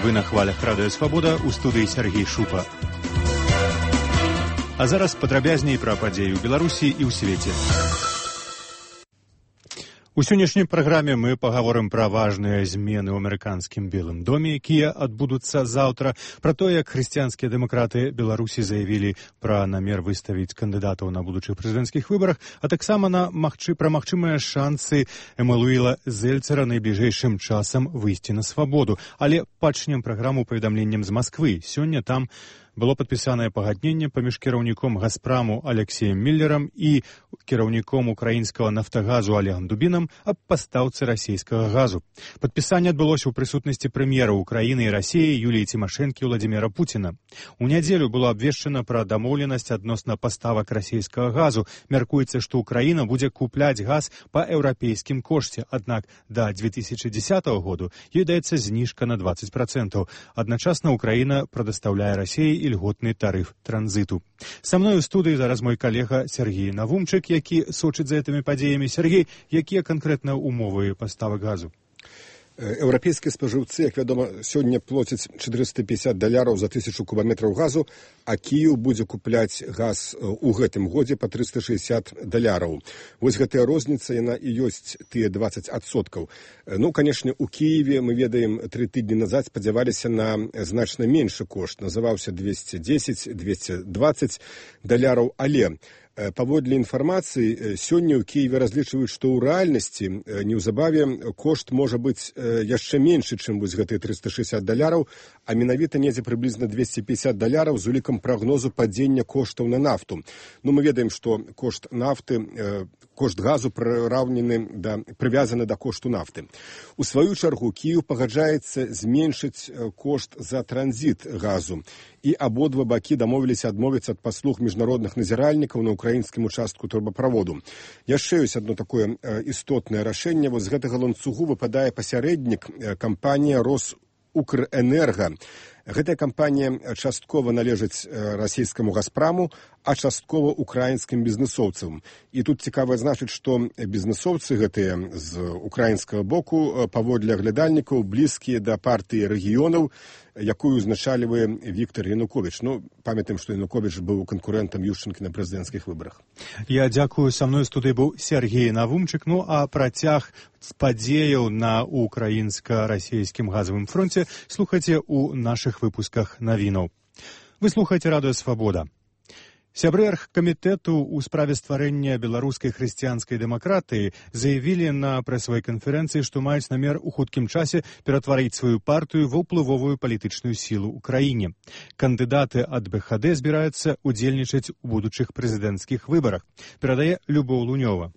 Вы на хвалях Радыё Свабода, у студыі Сергей Шупа. А зараз падрабязней пра падзеі ў Беларусі і ў свеце. У сённяшняй праграме мы пагаворым пра важныя змены ў амерыканскім Белым доме, якія адбудуцца заўтра, пра тое, як хрысціянскія дэмакраты Беларусі заявілі пра намер выставіць кандыдатаў на будучых прэзідэнцкіх выбарах, а таксама пра магчымыя шансы Эммануэла Зельцера найбліжэйшым часам выйсці на свабоду. Але пачнем праграму паведамленнем з Масквы. Сёння там было падпісанае пагадненне паміж кіраўніком Газпраму Алексеем Міллерам і кіраўніком украінскага нафтагазу Олегам Дубінам аб пастаўцы расійскага газу. Падпісанне адбылося ў прысутнасці прэм'ераў Украіны і Расіі Юліі Цімашэнкі і Владзіміра Пуціна. У нядзелю было абвешчана пра дамоўленасць адносна паставак расійскага газу. Мяркуецца, што Украіна будзе купляць газ па еўрапейскім кошце, аднак да 2010 году ёй даецца зніжка на 20%. Адначасна Украіна прадастаўляе Расіі льготны тарыф транзіту. Са мной у студыі зараз мой калега Сергей Навумчык, які сочыць за гэтымі падзеямі. Сергей, якія канкрэтна ўмовы паставак газу? Еўрапейскія спажыўцы, як вядома, сёння плоцяць $450 за 1000 кубаметраў газу, а Кіеў будзе купляць газ у гэтым годзе па $360. Вось гэтая розніца, яна і ёсць тыя 20%. Ну, канешне, у Кіеве, мы ведаем, 3 тыдні назад спадзяваліся на значна меншы кошт. Называўся $210-220, але паводле інфармацыі, сёння ў Кіеве разлічваюць, што ў рэальнасці неўзабаве кошт можа быць яшчэ меншы, чым вось гэтыя $360, а менавіта недзе прыблізна $250 з улікам прагнозу падзення коштаў на нафту. Ну, мы ведаем, што кошт нафты, кошт газу прывязаны да кошту нафты. У сваю чаргу Кіеў пагаджаецца зменшыць кошт за транзіт газу. І абодва бакі дамовіліся адмовіцца ад паслуг міжнародных назіральнікаў на украінскім участку трубаправоду. Яшчэ ёсць адно такое істотнае рашэнне. Вось з гэтага ланцугу выпадае пасярэднік кампанія Росукрэнерга. Гэтая кампанія часткова належыць расійскаму Газпраму, а часткова украінскім бізнесоўцам. І тут цікава значыць, што бізнесоўцы гэтыя з украінскага боку паводле аглядальнікаў блізкія да партыі рэгіёнаў, якую узначальвае Віктор Януковіч. Ну, памятаем, што Януковіч быў канкурэнтам Ющенкі на прэзідэнцкіх выбарах. Я дзякую. Са мной у студыі быў Сергей Навумчык. Ну, а працяг падзеяў на украінска-расійскім газавым фронце слухайце ў нашых выпусках навінаў. Вы слухаеце Радыё Свабода. Сябры аргкамітэту ў справе стварэння беларускай хрысціянскай дэмакратыі заявілі на прэсавай канферэнцыі, што маюць намер у хуткім часе ператварыць сваю партыю ва ўплывовую палітычную сілу ў краіне. Кандыдаты ад БХД збіраюцца удзельнічаць у будучых прэзідэнцкіх выбарах, перадае Любоў Лунёва.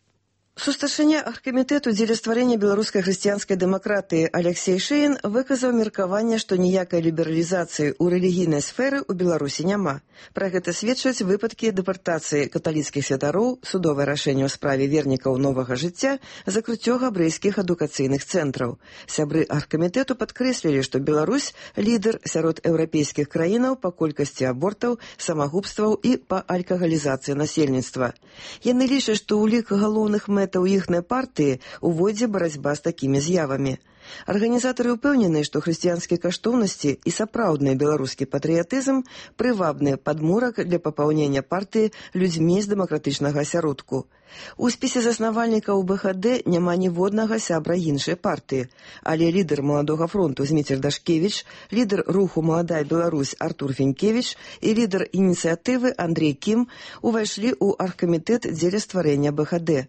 Сустаршыня аргкамітэту дзеля стварэння беларускай хрысціянскай дэмакратыі Алексей Шэйн выказаў меркаванне, што ніякай лібералізацыі ў рэлігійнай сферы ў Беларусі няма. Пра гэта сведчаць выпадкі дэпартацыі каталіцкіх святароў, судовае рашэнне ў справе вернікаў новага жыцця, закрыццё габрэйскіх адукацыйных цэнтраў. Сябры аргкамітэту падкрэслілі, што Беларусь лідар сярод еўрапейскіх краінаў па колькасці абортаў, самагубстваў і па алкагалізацыі насельніцтва. Яны лічаць, што ў лік галоўных мэтаў іхнай партыі увойдзе барацьба з такімі з'явамі. Арганізатары ўпэўнены, што хрысціянскія каштоўнасці і сапраўдны беларускі патрыятызм прывабны падмурак для папаўнення партыі людзьмі з дэмакратычнага асяродку. У спісе заснавальнікаў БХД няма ніводнага сябра іншай партыі, але лідар Маладога фронту Зміцер Дашкевіч, лідар руху «Маладая Беларусь» Артур Фенькевіч і лідар ініцыятывы Андрей Кім увайшлі ў аргкамітэт дзеля стварэння БХД.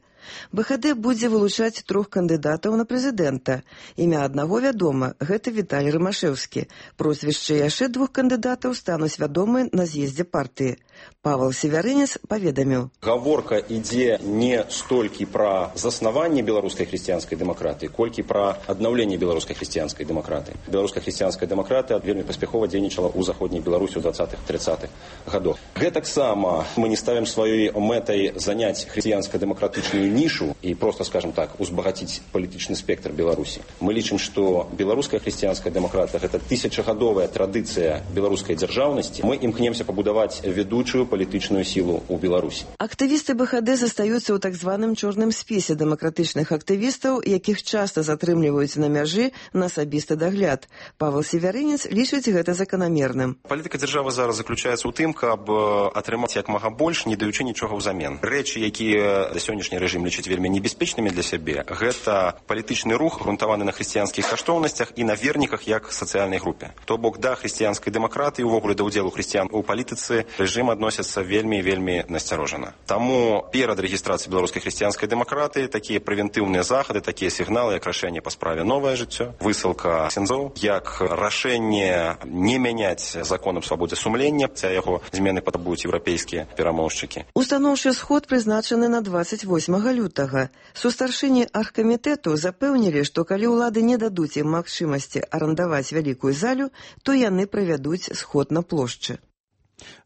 БХД будзе вылучаць 3 кандыдатаў на прэзідэнта. Імя аднаго вядома, гэта Віталій Рымашэўскі. Прозвішчы яшчэ 2 кандыдатаў стануць вядомы на з'ездзе партыі. Павел Севярынец паведаміў. Гаворка ідзе не столькі пра заснаванне беларускай хрысціянскай дэмакратыі, колькі пра аднаўленне беларускай хрысціянскай дэмакратыі. Беларуская хрысціянская дэмакратыя вельмі паспяхова дзейнічала ў заходняй Беларусі ў 20-30-х гадах. Гэтаксама мы не ставім сваёй мэтай заняць хрысціянска-дэмакратычную нішу і просто, скажем так, узбагатіць палітычны спектр Беларусі. Мы лічым, што беларуская хрысціянская дэмакратыя гэта 1000-гадовая традыцыя беларускай дзяржаўнасці. Мы імкнемся пабудаваць ведучую действующую политическую силу у Беларуси. Актывісты БХД застаюцца ў так званым чорным спісе дэмакратычных актывістаў, якіх часта затрымліваюць на мяжы на асабісты дагляд. Павел Северынец лічыць гэта заканамерным. Палітыка дзяржавы зараз заключаецца ў тым, каб атрымаць як мага больш, не даючы нічога ўзамен. Рэчы, якія сённяшні рэжым лічыць вельмі небяспечнымі для сябе, гэта палітычны рух, грунтаваны на хрысціянскіх каштоўнасцях і на верніках як сацыяльнай групе. То бок да хрысціянскай дэмакратыі, увогуле да ўдзелу хрысціян у палітыцы рэжым адносіцца вельмі насцярожана. Таму перад рэгістрацыяй беларускай хрысціянскай дэмакратыі такія прэвентыўныя захады, такія сігналы, як рашэнне па справе «Новае жыццё», высылка ксяндзоў, як рашэнне не мяняць закон аб свабодзе сумлення, ця яго змены патрабуюць еўрапейскія перамоўшчыкі. Устаноўчы сход прызначаны на 28 лютага. Сустаршыні аргкамітэту запэўнілі, што калі ўлады не дадуць ім магчымасці арандаваць вялікую залю, то яны правядуць сход на плошчы.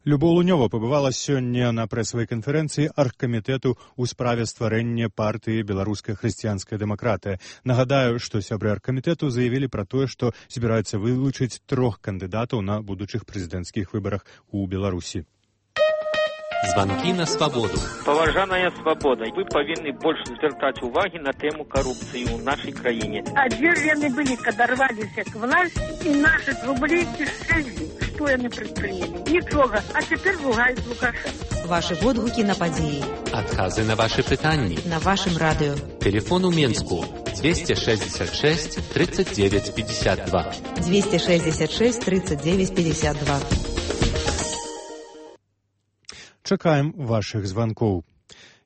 Любоў Лунёва пабывала сёння на прэсавай канферэнцыі аргкамітэту ў справе стварэння партыі беларуская хрысціянская дэмакратыя. Нагадаю, што сябры аргкамітэту заявілі пра тое, што збіраюцца вылучыць 3 кандыдатаў на будучых прэзідэнцкіх выбарах у Беларусі. Звонки на свободу. Поважаная свобода, вы повинны больше звертать уваги на тему коррупции в нашей краине. А дзве яны былі, когда рваліся к власти, и наши рублі кішэлі. Что яны предприняли? Нічога. А теперь ругают Лукашенко. Ваши водгуки на подеи. Отказы на ваши пытанни. На вашем радио. Телефон у Менску 266 39 52. 266 39 52. Чакаем вашых званкоў.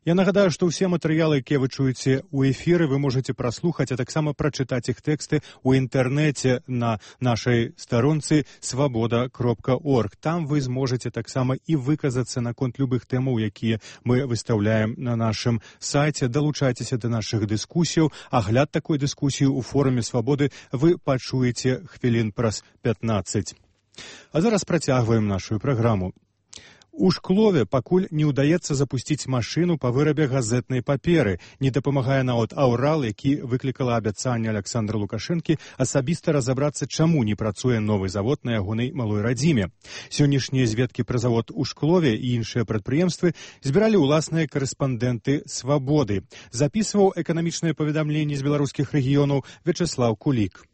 Я нагадаю, што ўсе матэрыялы, якія вы чуеце ў эфіры, вы можаце праслухаць, а таксама прачытаць іх тэксты ў інтэрнэце на нашай старонцы свабода.орг. Там вы зможаце таксама і выказацца наконт любых тэмаў, якія мы выстаўляем на нашым сайце. Далучайцеся да нашых дыскусіяў. Агляд такой дыскусіі ў форуме Свабоды вы пачуеце хвілін праз 15. А зараз працягваем нашу праграму. У Шклове пакуль не ўдаецца запусціць машыну па вырабе газетнай паперы. Не дапамагае нават аўрал, які выклікала абяцанне Аляксандра Лукашэнкі асабіста разабрацца, чаму не працуе новы завод на ягонай малой радзіме. Сённяшнія зведкі пра завод у Шклове і іншыя прадпрыемствы збіралі ўласныя карэспандэнты «Свабоды». Запісваў эканамічныя паведамленні з беларускіх рэгіёнаў Вячеслав Кулік.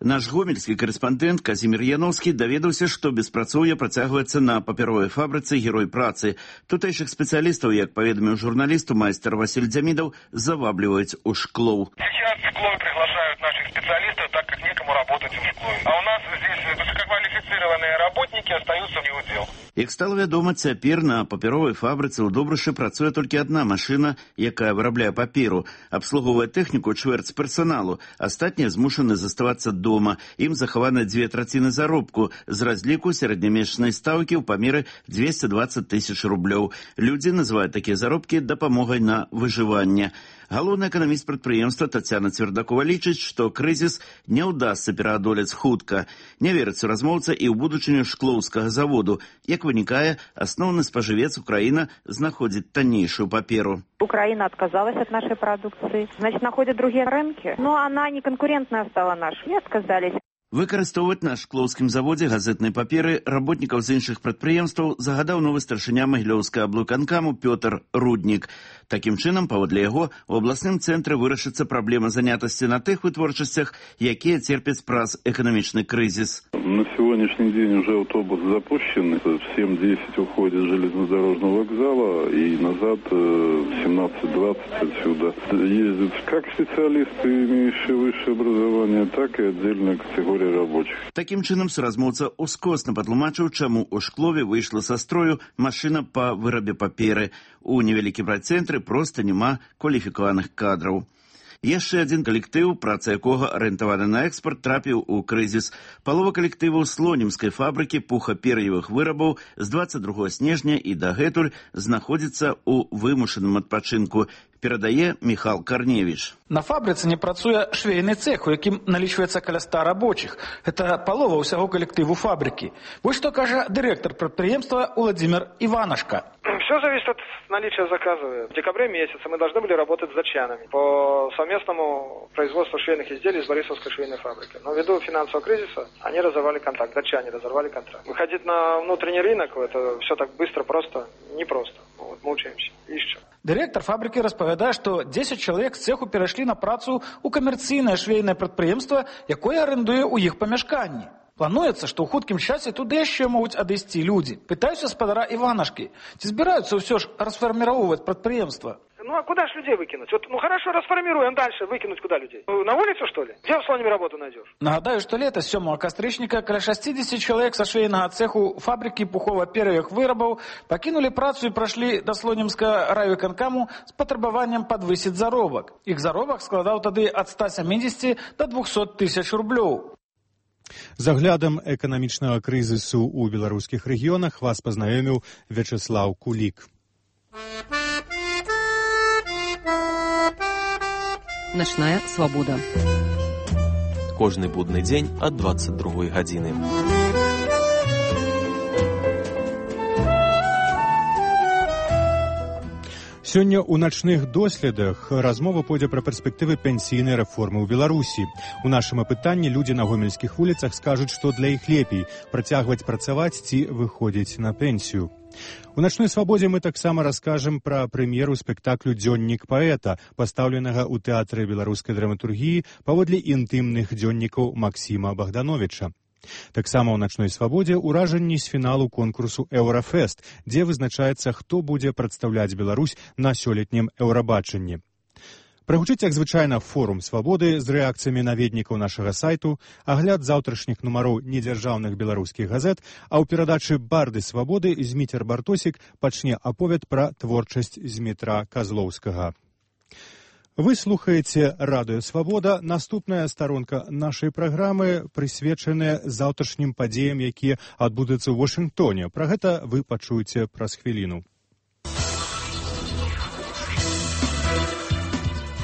Наш гомельскі карэспандэнт Казімір Яноўскі даведаўся, што беспрацоўе працягваецца на папяровай фабрыцы «Герой працы». Тутэйшых спецыялістаў, як паведаміў журналісту майстар Васіль Дзямідаў, завабліваюць у Шклоў. Сейчас в Шклове приглашают наших специалистов, так как некому работать в Шклове. А у нас здесь высококвалифицированные работники остаются в удел. Як стала вядома, цяпер на папяровай фабрыцы ў Добрышы працуе толькі адна машына, якая вырабляе паперу. Абслугоўвае тэхніку чвэрць персаналу. Астатнія змушаны заставацца дома. Ім захаваны 2/3 заробку з разліку сярэднямесячнай стаўкі ў памеры 220 000 рублёў. Людзі называюць такія заробкі дапамогай на выжыванне. Галоўны эканаміст прадпрыемства Тацяна Цвердакова лічыць, што крызіс не ўдасца пераадолець хутка. Не верыць размоўца і ў будучыню шклоўскага заводу. Як вынікае, асноўны спажывец Украина знаходзіць таннейшую паперу. Украина отказалась от нашей продукции. Значит, находят другие рынки. Но она не конкурентная стала нашей. И отказались. Выкарыстоўваць на шклоўскім заводзе газетнай паперы работнікаў з іншых прадпрыемстваў загадаў новы старшыня Магілёўскага аблвыканкаму Пётр Руднік. Такім чынам, паводле яго, у абласным цэнтры вырашыцца праблема занятасці на тых вытворчасцях, якія церпяць праз эканамічны крызіс. На сегодняшний день уже автобус запущен. В 7:10 уходит с железнодорожного вокзала и назад в 17:20 отсюда ездят как специалисты, имеющие высшее образование, так и отдельная категория рабочих. Такім чынам суразмоўца ускосна патлумачыў, чаму у Шклове выйшла са строю машына па вырабе паперы. У невялікім райцэнтры проста няма кваліфікаваных кадраў. Яшчэ адзін калектыў, праца якога арыентавана на экспорт, трапіў у крызіс. Палова калектываў слонімскай фабрыкі пухапер'евых вырабаў з 22 снежня і дагэтуль знаходзіцца ў вымушаным адпачынку, перадае Міхал Карневіч. На фабрыцы не працуе швейны цех, у якім налічваецца каля 100 рабочих. Гэта палова ўсяго калектыву фабрыкі. Вось што кажа дырэктар прадпрыемства Уладзімір Іванашка. Все зависит от наличия заказа. В декабре месяце мы должны были работать с датчанами по совместному производству швейных изделий из Борисовской швейной фабрики. Но ввиду финансового кризиса они разорвали контракт, датчане разорвали контракт. Выходить на внутренний рынок, это все так быстро, просто непросто. Вот, мучаемся, ищем. Дырэктар фабрыкі распавядае, што 10 чалавек з цэху перайшлі на працу ў камерцыйнае швейнае прадпрыемства, якое арендуе ў іх памяшканні. Плануецца, што ў хуткім часе туды яшчэ могуць адысці людзі. Пытаюся спадара Іванашкі, ці збіраюцца ўсё ж расфарміроўваць прадпрыемства? Ну а куда ж людей выкинуть? Вот, ну хорошо, расформируем дальше, выкинуть куда людей? На улицу, что ли? Где в Слониме работу найдешь? Нагадаю, што лета 7 кастрычніка каля 60 чалавек са швейнага цэху фабрыкі пухова-пер'евых вырабаў пакінулі працу і прайшлі да слонімска райвыканкаму з патрабаваннем падвысіць заробак. Іх заробак складаў тады ад 170 до 200 тысяч рублёў. З аглядам эканамічнага крызісу ў беларускіх рэгіёнах вас пазнаёміў Вячеслаў Кулік. Начная свабода. Кожны будны дзень ад 22 гадзіны. Сёння ў начных доследах размова пойдзе пра перспектывы пенсійнай рэформы ў Беларусі. У нашым апытанні людзі на гомельскіх вуліцах скажуць, што для іх лепей працягваць працаваць ці выходзіць на пенсію. У начной свабодзе мы таксама раскажам пра прэм'еру спектаклю «Дзённік паэта», пастаўленага ў тэатры беларускай драматургіі паводле інтымных дзённікаў Максіма Богдановича. Таксама ў начной свабодзе ўражанні з фіналу конкурсу «Еўрафест», дзе вызначаецца, хто будзе прадстаўляць Беларусь на сёлетнім еўрабачанні. Прагучыць, як звычайна, форум свабоды з рэакцыямі наведнікаў нашага сайту, агляд заўтрашніх нумароў недзяржаўных беларускіх газет, а ў перадачы «Барды свабоды» Зміцер Бартосік пачне аповед пра творчасць Змітра Казлоўскага. Вы слухаеце радыё «Свабода». Наступная старонка нашай праграмы прысвечаная заўтрашнім падзеям, якія адбудуцца ў Вашынгтоне. Пра гэта вы пачуеце праз хвіліну.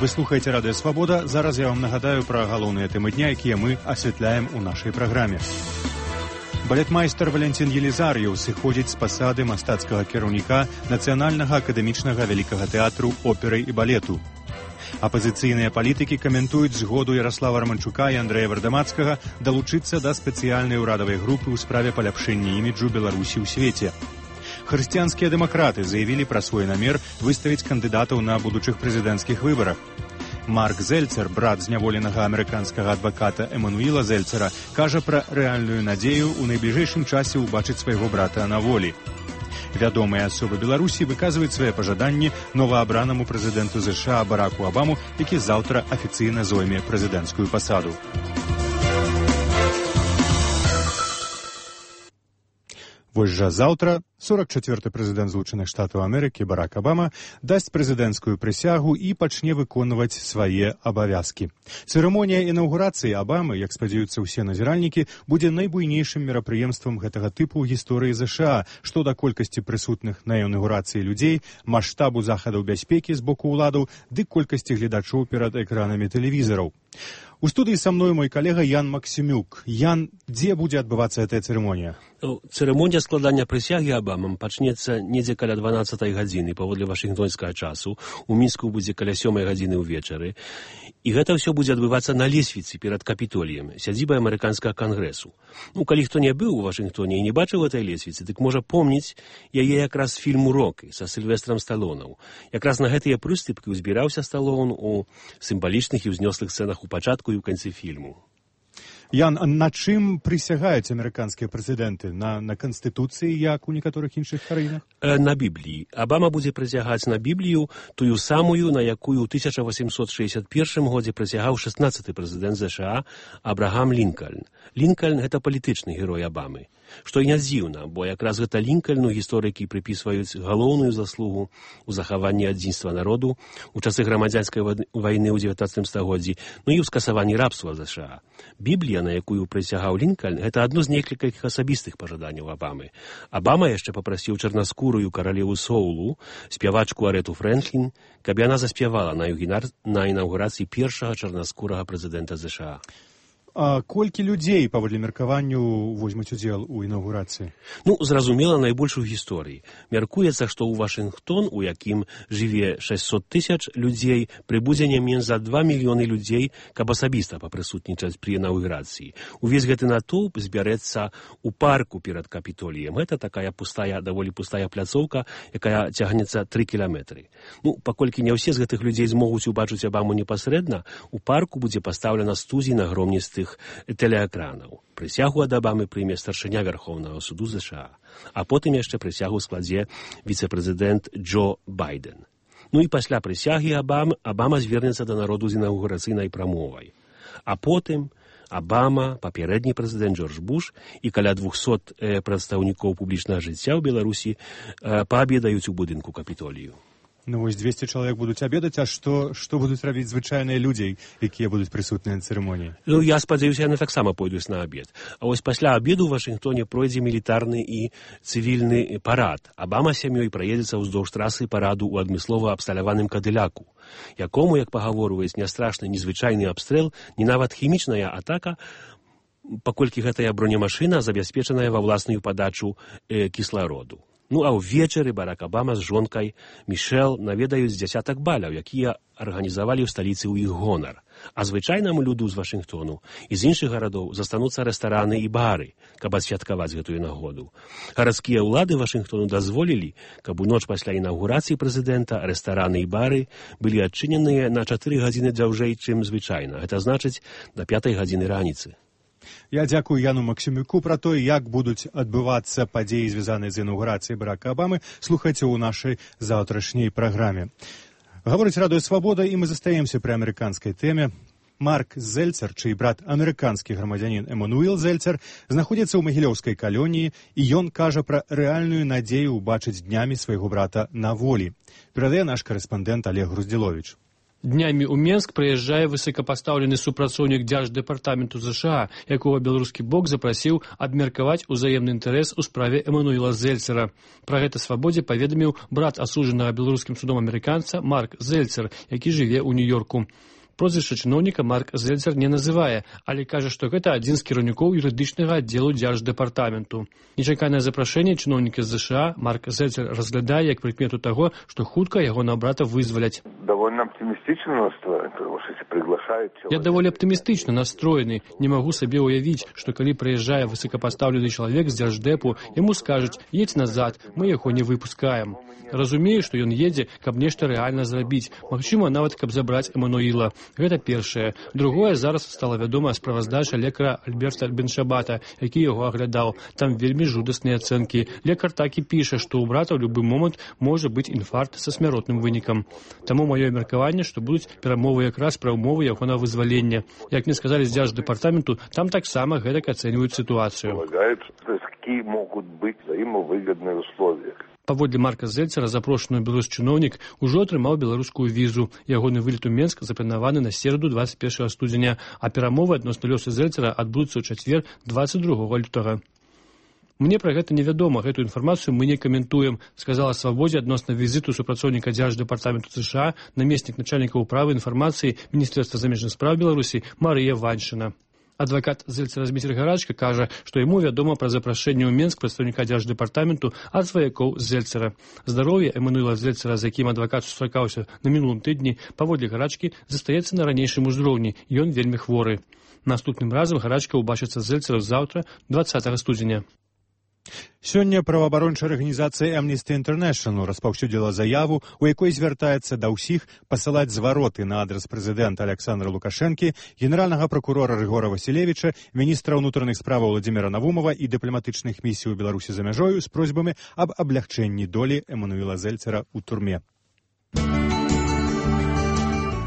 Вы слухаеце радыё «Свабода». Зараз я вам нагадаю пра галоўныя тэмы дня, якія мы асвятляем у нашай праграме. Балетмайстар Валентин Елізар'еў сыходзіць з пасады мастацкага кіраўніка Нацыянальнага акадэмічнага вялікага тэатру оперы і балету. Апазіцыйныя палітыкі каментуюць згоду Ярослава Романчука і Андрэя Вардамацкага далучыцца да спецыяльнай урадавай групы ў справе паляпшэння іміджу Беларусі ў свеце. Хрысціянскія дэмакраты заявілі пра свой намер выставіць кандыдатаў на будучых прэзідэнцкіх выбарах. Марк Зельцер, брат зняволенага амерыканскага адваката Эмануіла Зельцера, кажа пра рэальную надзею ў найбліжэйшым часе ўбачыць свайго брата на волі. Вядомыя асобы Беларусі выказваюць свае пажаданні новаабранаму прэзідэнту ЗША Бараку Абаму, які заўтра афіцыйна зойме прэзідэнцкую пасаду. Вось жа заўтра 44-й прэзідэнт Злучаных Штатаў Амерыкі Барак Абама дасць прэзідэнцкую прысягу і пачне выконваць свае абавязкі. Цырымонія інаўгурацыі Абамы, як спадзяюцца ўсе назіральнікі, будзе найбуйнейшым мерапрыемствам гэтага тыпу ў гісторыі ЗША, што да колькасці прысутных на інаўгурацыі людзей, маштабу захадаў бяспекі з боку ўладаў ды колькасці гледачоў перад экранамі тэлевізараў. У студыі са мной мой калега Ян Максімюк. Ян, дзе будзе адбывацца гэтая цырымонія? Цырымонія складання прысягі Абамам пачнецца недзе каля 12-й гадзіны паводле вашынгтонскага часу. У Мінску будзе каля 7-й гадзіны ўвечары. І гэта ўсё будзе адбывацца на лесвіцы перад Капітоліем, сядзібай амерыканскага кангрэсу. Калі хто не быў у Вашынгтоне і не бачыў гэтай лесвіцы, дык можа помніць яе якраз фільму «Рокі» са Сільвестрам Сталонам. Якраз на гэтыя прыступкі ўзбіраўся Сталон у сімвалічных і ўзнёслых сцэнах у пачатку і ў канцы фільму. Ян, на чым прысягаюць амерыканскія прэзідэнты? На Канстытуцыі, як у некаторых іншых краінах? На Бібліі. Абама будзе прысягаць на Біблію, тую самую, на якую ў 1861 годзе прысягаў 16-й прэзідэнт ЗША Абрагам Лінкальн. Лінкальн – гэта палітычны герой Абамы. Што і не дзіўна, бо якраз гэта Лінкальну гісторыкі прыпісваюць галоўную заслугу ў захаванні адзінства народу у часы грамадзянскай вайны ў 19 стагоддзі, і ў скасаванні рабства ЗША. Біблія, на якую прысягаў Лінкальн, гэта адно з некалькіх асабістых пажаданняў Абамы. Абама яшчэ папрасіў чарнаскурую каралеву Соулу, спявачку Арету Фрэнклін, каб яна заспявала на інаўгурацыі першага чарнаскурага прэзідэнта ЗША. А колькі людзей, паводле меркаванню, возьмуць удзел у інаўгурацыі? Зразумела, найбольш у гісторыі. Мяркуецца, што ў Вашынгтон, у якім жыве 600 000 людзей, прыбудзе не менш за 2 мільёны людзей, каб асабіста папрысутнічаць пры інаўгурацыі. Увесь гэты натоўп збярэцца ў парку перад Капітоліем. Гэта такая даволі пустая пляцоўка, якая цягнецца 3 кіламетры. Паколькі не ўсе з гэтых людзей змогуць убачыць Абаму непасрэдна, у парку будзе пастаўлена студзі нагромністых тэлеэкранаў. Прысягу ад Абамы прыме старшыня Вярхоўнага суду ЗША, а потым яшчэ прысягу складзе віцэ-прэзідэнт Джо Байден. І пасля прысягі Абама звернецца да народу з інаўгурацыйнай прамовай. А потым Абама, папярэдні прэзідэнт Джордж Буш і каля 200 прадстаўнікоў публічнага жыцця ў Беларусі паабедаюць у будынку Капітолію. 200 чалавек будуць абедаць, а што будуць рабіць звычайныя людзі, якія будуць прысутныя на цырымоніі? Я спадзяюся, яны таксама пойдуць на абед. А вось пасля абеду ў Вашынгтоне пройдзе мілітарны і цывільны парад. Абама з сям'ёй праедзецца ўздоўж трасы параду ў адмыслова абсталяваным кадыляку, якому, як пагаворваюць, не страшны ні звычайны абстрэл, ні нават хімічная атака, паколькі гэтая бронемашына забяспечаная ва власную падачу кіслароду. А ўвечары Барак Абама з жонкай Мішэл наведаюць дзясятак баляў, якія арганізавалі ў сталіцы ў іх гонар. А звычайнаму люду з Вашынгтону і з іншых гарадоў застануцца рэстараны і бары, каб адсвяткаваць гэтую нагоду. Гарадскія ўлады Вашынгтону дазволілі, каб у ноч пасля інаўгурацыі прэзідэнта рэстараны і бары былі адчыненыя на 4 гадзіны дзяўжэй, чым звычайна. Гэта значыць, да 5 гадзіны раніцы. Я дзякую Яну Максімюку пра то, як будуць адбывацца падзеі, звязаныя з інаўгурацыяй Барака Абамы. Слухайце ў нашай заўтрашняй праграме. Гаворыць Радыё Свабода, і мы застаемся пры амерыканскай тэме. Марк Зельцер, чый брат амерыканскі грамадзянін Эмануэл Зельцер, знаходзіцца ў магілёўскай калоніі, і ён кажа пра рэальную надзею ўбачыць днямі свайго брата на волі. Перадае наш карэспандэнт Олег Груздзіловіч. Днямі ў Менск прыязджае высокапастаўлены супрацоўнік Дзярждэпартаменту ЗША, якога беларускі бок запрасіў абмеркаваць узаемны інтарэс у справе Эмануэла Зельцера. Пра гэта Свабодзе паведаміў брат асуджанага беларускім судом амерыканца Марк Зельцер, які жыве ў Нью-Йорку. Прозвішча чыноўніка Марк Зельцер не называе, але кажа, што гэта адзін з кіраўнікоў юрыдычнага аддзелу Дзярждэпартаменту. Нечаканае запрашэнне чыноўніка з ЗША Марк Зельцер разглядае як прыкмету таго, што хутка ягонага брата вызваляць. Я даволі аптымістычна настроены. Не магу сабе ўявіць, што калі прыязджае высокапастаўлены чалавек з Дзярждэпу, яму скажуць: едзь назад, мы яго не выпускаем. Разумею, што ён едзе, каб нешта рэальна зрабіць. Магчыма, нават каб забраць Эмануіла. Гэта першае. Другое, зараз стала вядома справаздача лекара Альберта Беншабата, які яго аглядаў. Там вельмі жудасныя ацэнкі. Лекар так і піша, што ў брата ў любы момант можа быць інфаркт са смяротным вынікам. Таму маё меркаванне, што будуць перамовы якраз пра ўмовы яго на вызвалення. Як мне сказалі з Дзярждэпартаменту, там таксама гэтак ацэньваюць сітуацыю. Паводле Марка Зельцера, запрошаны беларускі чыноўнік ужо атрымаў беларускую візу. Ягоны вылет у Менск запланаваны на сераду 21 студзеня, а перамовы адносна лёсу Зельцера адбудуцца ў чацвер 22 лютага. Мне пра гэта невядома, гэтую інфармацыю мы не каментуем, сказала Свабодзе адносна візіту супрацоўніка Дзярждэпартаменту ЗША, намеснік начальніка ўправы інфармацыі Міністэрства замежных спраў Беларусі Марыя Ваншчына. Адвакат Зельцера Зміцер Гарачка кажа, што яму вядома пра запрашэнне ў Менск прадстаўніка Дзярждэпартаменту ад сваякоў Зельцера. Здароўе Эмануэла Зельцера, з якім адвакат сустракаўся на мінулым тыдні, паводле Гарачкі застаецца на ранейшым узроўні. Ён вельмі хворы. Наступным разам Гарачка ўбачыцца з Зельцера заўтра, 20 студзеня. Сёння праваабарончая арганізацыя Amnesty International распаўсюдзіла заяву, у якой звяртаецца да ўсіх пасылаць звароты на адрас прэзідэнта Александра Лукашэнкі, генеральнага пракурора Рыгора Васілевіча, міністра ўнутраных справаў Владзіміра Навумова і дыпламатычных місій у Беларусі за мяжою з просьбамі аб аблягчэнні долі Эмануэла Зельцера ў турме.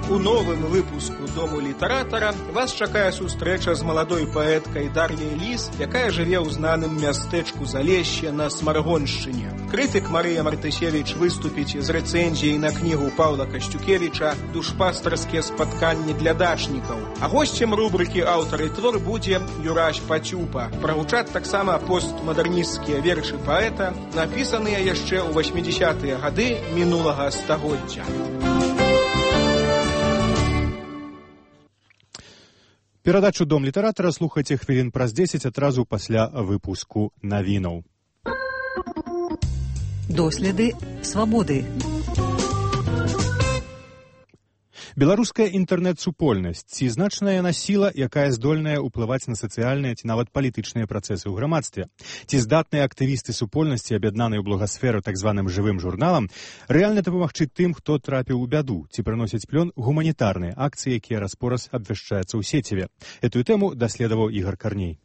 У новым выпуску «Дому літаратара» вас чакае сустрэча з маладой паэткай Дар'яй Ліс, якая жыве ў знаным мястэчку Залешще на Смаргоншчыне. Крытык Марыя Мартысевіч выступіць з рэцэнзіяй на кнігу Паўла Касцюкевіча «Душпастарскія спатканні для дачнікаў». А госцем рубрыкі «Аўтар і твор» будзе Юрась Пацюпа. Прагучаць таксама постмадэрнісцкія вершы паэта, напісаныя яшчэ ў 80-тыя гады мінулага стагоддзя. Перадачу «Дом літаратара» слухайце хвілін праз 10 адразу пасля выпуску навінаў. Доследы свабоды. Беларуская інтэрнэт-супольнасць ці значная яна сіла, якая здольная ўплываць на сацыяльныя ці нават палітычныя працэсы ў грамадстве? Ці здатныя актывісты супольнасці, аб'яднаныя ў благасферу так званым жывым журналам, рэальна дапамагчы тым, хто трапіў у бяду, ці прыносяць плён гуманітарныя акцыі, якія раз-пораз абвяшчаюцца ў сеціве? Этую тэму даследаваў Ігар Карней.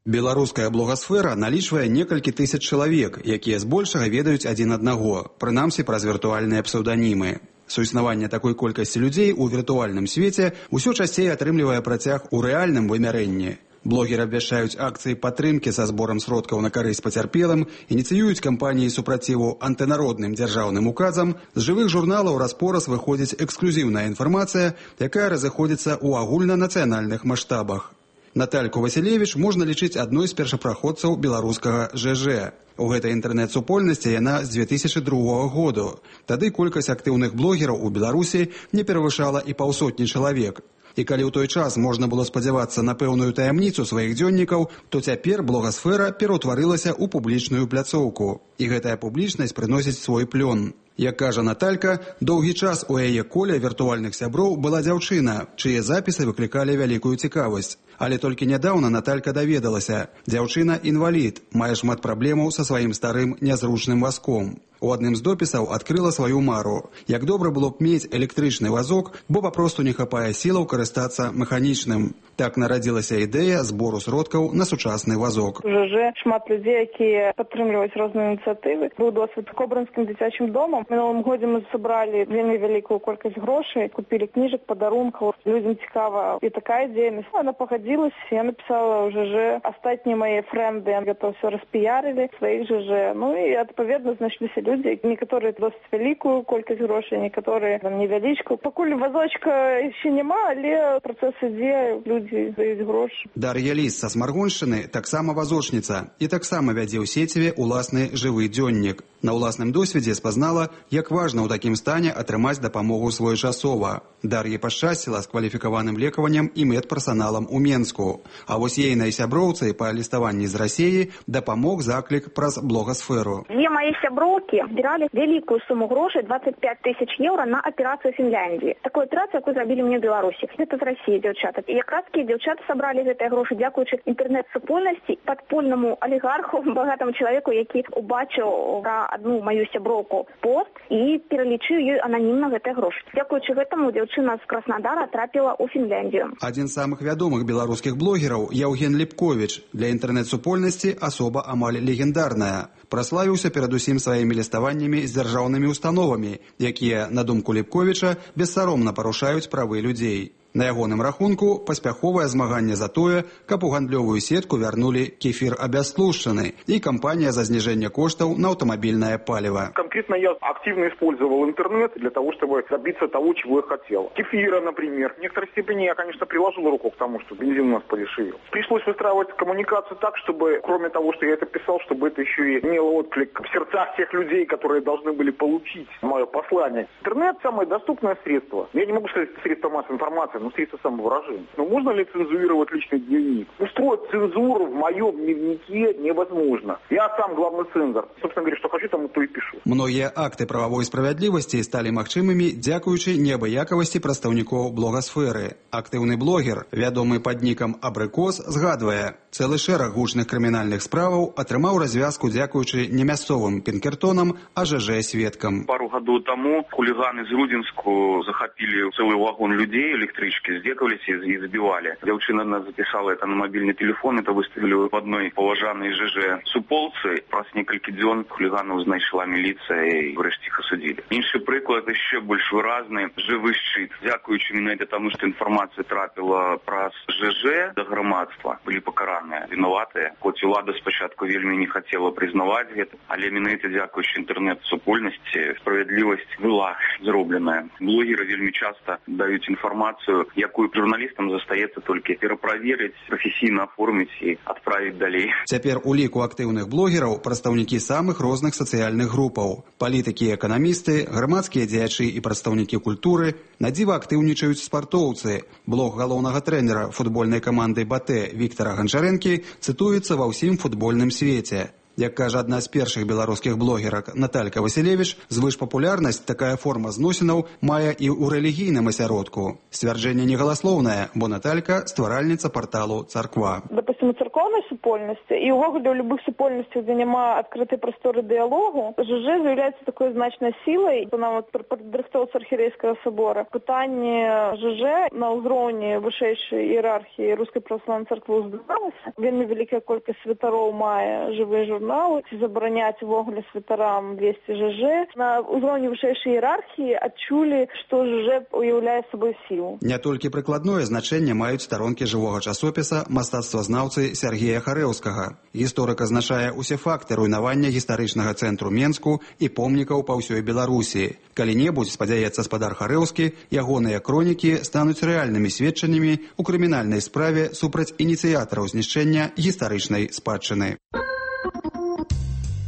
Беларуская блогасфера налічвае некалькі тысяч чалавек, якія збольшага ведаюць адзін аднаго, прынамсі праз віртуальныя псеўданімы. Суіснаванне такой колькасці людзей у віртуальным свеце ўсё часцей атрымлівае працяг у рэальным вымярэнні. Блогеры абвяшчаюць акцыі падтрымкі са зборам сродкаў на карысць пацярпелым, ініцыююць кампаніі супраціву антынародным дзяржаўным указам, з жывых журналаў раз-пораз выходзіць эксклюзіўная інфармацыя, якая разыходзіцца ў агульнанацыянальных маштабах. Натальку Васілевіч можна лічыць адной з першапраходцаў беларускага ЖЖ. У гэтай інтэрнэт-супольнасці яна з 2002 году. Тады колькасць актыўных блогераў у Беларусі не перавышала і паўсотні чалавек. І калі ў той час можна было спадзявацца на пэўную таямніцу сваіх дзённікаў, то цяпер блогасфера пераўтварылася ў публічную пляцоўку. І гэтая публічнасць прыносіць свой плён. Як кажа Наталька, доўгі час у яе коле віртуальных сяброў была дзяўчына, чые запісы выклікалі вялікую цікавасць. Але толькі нядаўна Наталька даведалася, дзяўчына інвалід, мае шмат праблемаў са сваім старым нязручным вазком. У адным з допісаў адкрыла сваю мару. Як добра было б мець электрычны вазок, бо папросту не хапае сілаў карыстацца механічным. Так нарадзілася ідэя збору сродкаў на сучасны вазок. ЖЖ шмат людзей, якія падтрымліваюць розныя ініцыятывы. Быў досвед кобрынскім дзіцячым домам. Мінулым годзе мы сабралі вельмі вялікую колькасць грошай, купілі кніжак, падарункаў. Людзям цікава і такая дзейнасць. Она пагадзілася, я напісала ў ЖЖ. Астатнія мае фрэнды гэта ўсё распіярылі сваіх ЖЖ. Ну і адпаведна знайшліся людзі, некаторыя досыць вялікую колькасць грошай, некаторыя невялічку. Пакуль вазочка яшчэ няма, але працэс ідзе, людзі даюць грошы. Дар'я Ліс са Смаргоншчыны таксама вазочніца і таксама вядзе ў сеціве ўласны жывы дзённік. На ўласным досведзе спазнала, як важна ў такім стане атрымаць дапамогу своечасова. Дар'і пашчасціла з кваліфікаваным лекаваннем і медперсаналам у Менску. А вось ейнай сяброўцы па ліставанні з Расіі дапамог заклік праз блогасферу. Две мои сяброўкі збіралі вялікую суму грошай, 25 тысяч еўра, на аперацыю Фінляндіі. Такую аперацыю, якую зрабілі мне ў Беларусі. Гэта з Расіі дзяўчаты. І якраз дзяўчаты сабралі гэтыя грошы дзякуючы інтэрнэт-супольнасці, падпольнаму алігарху, багатаму чалавеку, які убачыў пра одну мою сяброўку пост і пералічыў ёй ананімна гэтыя грошы. Дзякуючы гэтаму дзяўчына з Краснадара трапіла ў Фінляндію. Адзін з самых вядомых беларускіх блогераў Яўген Ліпковіч. Для інтэрнэт-супольнасці асоба амаль легендарная. Праславіўся перадусім сваімі ліставаннямі з дзяржаўнымі установамі, якія, на думку Ліпковіча, бессаромна парушаюць правы людзей. На ягоным рахунку паспяховае змаганне за тое, каб у гандлёвую сетку вярнулі кефір абястлушчаны і кампанія за снижение коштов на автомобильное палево. Конкретно я активно использовал интернет для того, чтобы добиться того, чего я хотел. Кефира, например. В некоторой степени я, конечно, приложил руку к тому, что бензин у нас подешевел. Пришлось выстраивать коммуникацию так, чтобы, кроме того, что я это писал, чтобы это еще и имело отклик в сердцах тех людей, которые должны были получить мое послание. Интернет – самое доступное средство. Я не могу сказать средство массовой информации, но средство самовыражения. Но можно ли цензурировать личный дневник? Устроить цензуру в моем дневнике невозможно. Я сам главный цензор. Собственно говоря, что хочу, тому то и пишу. Многія акты правовой справядлівасці сталі магчымымі дзякуючы неабыякавасці прадстаўнікоў блогасферы. Актыўны блогер, вядомы пад нікам Абрыкос, згадвае, цэлы шэраг гучных крымінальных справаў атрымаў развязку дзякуючы не мясцовым пінкертонам, а ЖЖ-сведкам. Пару гадоў таму хуліганы з Рудзінску захапілі цэлы вагон людзей электрычкі, здзекаваліся і збівалі. Дзяўчына нас запісала это на мабільны телефон, это выставілі в одной паважанай ЖЖ-суполцы. Праз некалькі дзён хуліганаў знайшла міліцыя і врэшце іх асудзілі. Іншы прыклад яшчэ больш выразны. Жывы шчыт. Дзякуючы менавіта таму, што інфармацыя трапіла праз ЖЖ да грамадства, былі пакараныя вінаватыя. Хоць улада спачатку вельмі не хацела прызнаваць гэта, але менавіта дзякуючы інтэрнэт-супольнасці справядлівасць была зробленая. Блогеры вельмі часта даюць інфармацыю якую журналістам застаецца толькі пераправерыць, прафесійна аформіць і адправіць далей. Цяпер у ліку актыўных блогераў прадстаўнікі самых розных сацыяльных групаў. Палітыкі і эканамісты, грамадскія дзеячы і прадстаўнікі культуры, надзіва актыўнічаюць спартоўцы. Блог галоўнага трэнера футбольнай каманды «Батэ» Віктара Ганчарэнкі цытуецца ва ўсім футбольным свеце. Як кажа адна з першых беларускіх блогерак Наталька Васілевіч, звышпапулярнасць такая форма зносінаў мае і ў рэлігійным асяродку. Сцвярджэнне негаласлоўнае, бо Наталька стваральніца парталу «Царква». Допустим, у церковной супольности и увогуле у любых супольностей, где нема открытой просторы диалогу, ЖЖ заявляется такой значной силой. Нам вот падрыхтоўца архиерейского собора. Пытанне ЖЖ на ўзроўні вышэйшай іерархіі Рускай праваслаўнай царквы ўздавалася. Вельмі вялікая колькасць святароў мае жывыя журналы. Ці забараняць увогуле святарам весці ЖЖ. На ўзроўні вышэйшай іерархіі адчулі, што ЖЖ уяўляе сабой сілу. Не толькі прыкладное значэнне маюць старонкі жывога часопіса мастацтвазнаўцы Сергея Харэўскага. Гісторык азначае усе факты руйнавання гістарычнага цэнтру Менску і помнікаў па ўсёй Беларусі. Калі-небудзь, спадзяецца спадар Харэўскі, ягоныя кронікі стануць рэальнымі сведчаннямі ў крымінальнай справе супраць ініцыятараў знішчэння гістарычнай спадчыны.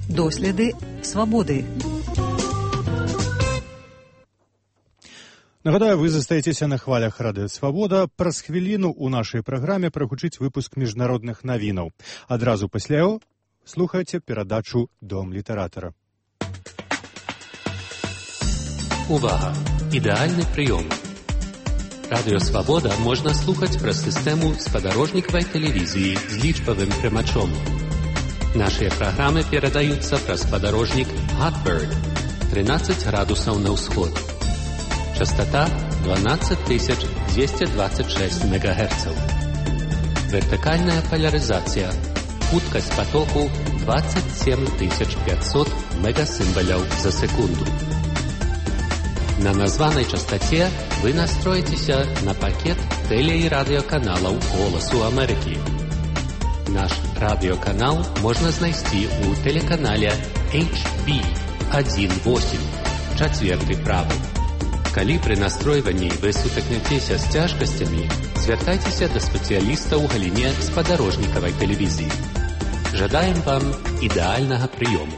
Доследы свабоды. Нагадаю, вы застаецеся на хвалях радыё «Свабода». Праз хвіліну ў нашай праграме прагучыць выпуск міжнародных навінаў. Адразу пасля яго слухайце перадачу «Дом літаратара». Увага! Ідэальны прыём. Радыё «Свабода» можна слухаць праз сістэму спадарожнікавай тэлевізіі з лічбавым прымачом. Нашыя праграмы перадаюцца праз спадарожнік Hotbird 13 градусаў на ўсход. Частота 12226 МГц. Вертикальная поляризация. Хуткость потоку 27500 мегасимволяў за секунду. На названной частоте вы настроитеся на пакет теле- и радиоканалаў «Голосу Америки». Наш радиоканал можно знайсці у телеканале HB18, чацверты правы. Калі пры настройванні вы сутыкнецеся з цяжкасцямі, звяртайцеся да спецыяліста ў галіне спадарожнікавай тэлевізіі. Жадаем вам ідэальнага прыёму.